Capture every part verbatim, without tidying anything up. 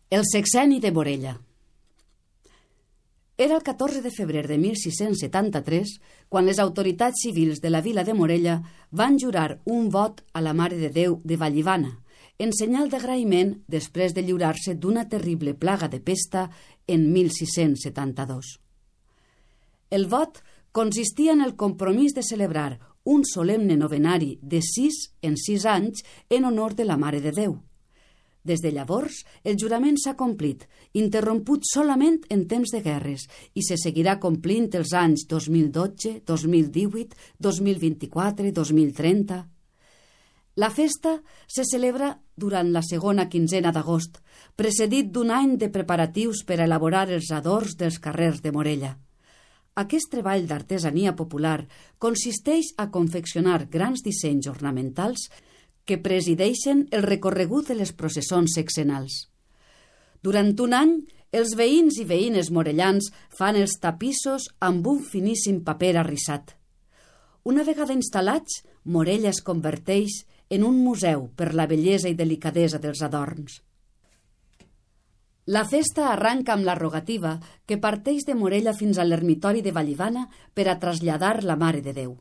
El sexenni de Morella. Era el catorze de febrer de mil sis-cents setanta-tres quan les autoritats civils de la vila de Morella van jurar un vot a la Mare de Déu de Vallivana, en senyal d'agraïment després de lliurar-se d'una terrible plaga de pesta en mil sis-cents setanta-dos. El vot consistia en el compromís de celebrar un solemne novenari de sis en sis anys en honor de la Mare de Déu. Des de llavors, el jurament s'ha complit, interromput solament en temps de guerres, i se seguirà complint els anys dos mil dotze, dos mil divuit, dos mil vint-i-quatre, dos mil trenta... La festa se celebra durant la segona quinzena d'agost, precedit d'un any de preparatius per a elaborar els adorns dels carrers de Morella. Aquest treball d'artesania popular consisteix a confeccionar grans dissenys ornamentals que presideixen el recorregut de les processons sexenals. Durant un any, els veïns i veïnes morellans fan els tapissos amb un finíssim paper arrissat. Una vegada instal·lats, Morella es converteix en un museu per la bellesa i delicadesa dels adorns. La festa arranca amb la rogativa que parteix de Morella fins a l'ermitori de Vallivana per a traslladar la Mare de Déu.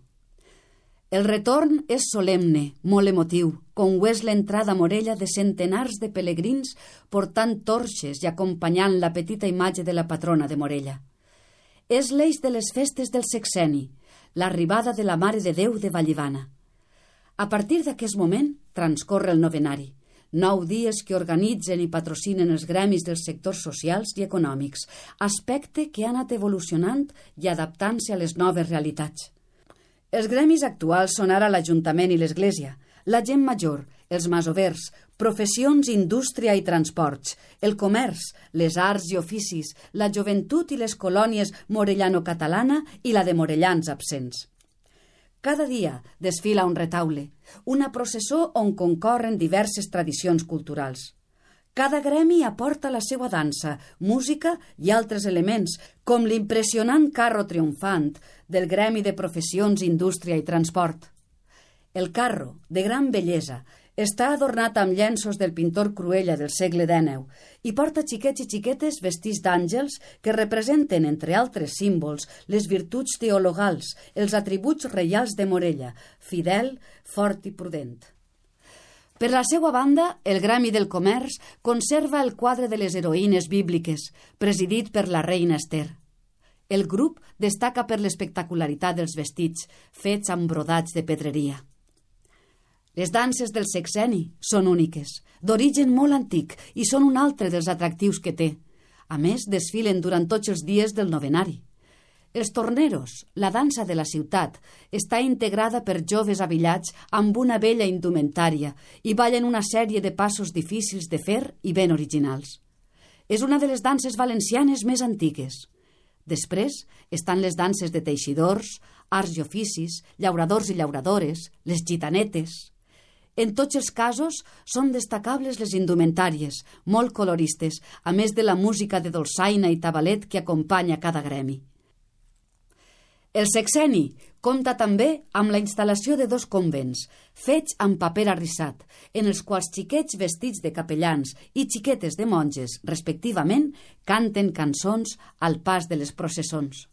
El retorn és solemne, molt emotiu, com ho és l'entrada a Morella de centenars de pelegrins portant torxes i acompanyant la petita imatge de la patrona de Morella. És l'eix de les festes del sexenni, l'arribada de la Mare de Déu de Vallivana. A partir d'aquest moment transcorre el novenari, nou dies que organitzen i patrocinen els gremis dels sectors socials i econòmics, aspecte que ha anat evolucionant i adaptant-se a les noves realitats. Els gremis actuals són ara l'Ajuntament i l'Església, la gent major, els masovers, professions, indústria i transports, el comerç, les arts i oficis, la joventut i les colònies morellano-catalana i la de morellans absents. Cada dia desfila un retaule, una processó on concorren diverses tradicions culturals. Cada gremi aporta la seva dansa, música i altres elements, com l'impressionant carro triomfant del Gremi de Professions, Indústria i Transport. El carro, de gran bellesa, està adornat amb llenços del pintor Cruella del segle dènou i porta xiquets i xiquetes vestits d'àngels que representen, entre altres símbols, les virtuts teologals, els atributs reials de Morella, fidel, fort i prudent. Per la seva banda, el Gremi del Comerç conserva el quadre de les heroïnes bíbliques, presidit per la reina Ester. El grup destaca per l'espectacularitat dels vestits, fets amb brodats de pedreria. Les danses del sexenni són úniques, d'origen molt antic, i són un altre dels atractius que té. A més, desfilen durant tots els dies del novenari. Els torneros, la dansa de la ciutat, està integrada per joves abillats amb una bella indumentària i ballen una sèrie de passos difícils de fer i ben originals. És una de les danses valencianes més antigues. Després estan les danses de teixidors, arts i oficis, llauradors i llauradores, les gitanetes. En tots els casos són destacables les indumentàries, molt coloristes, a més de la música de dolçaina i tabalet que acompanya cada gremi. El sexenni compta també amb la instal·lació de dos convents, fets amb paper arrissat, en els quals xiquets vestits de capellans i xiquetes de monges, respectivament, canten cançons al pas de les processons.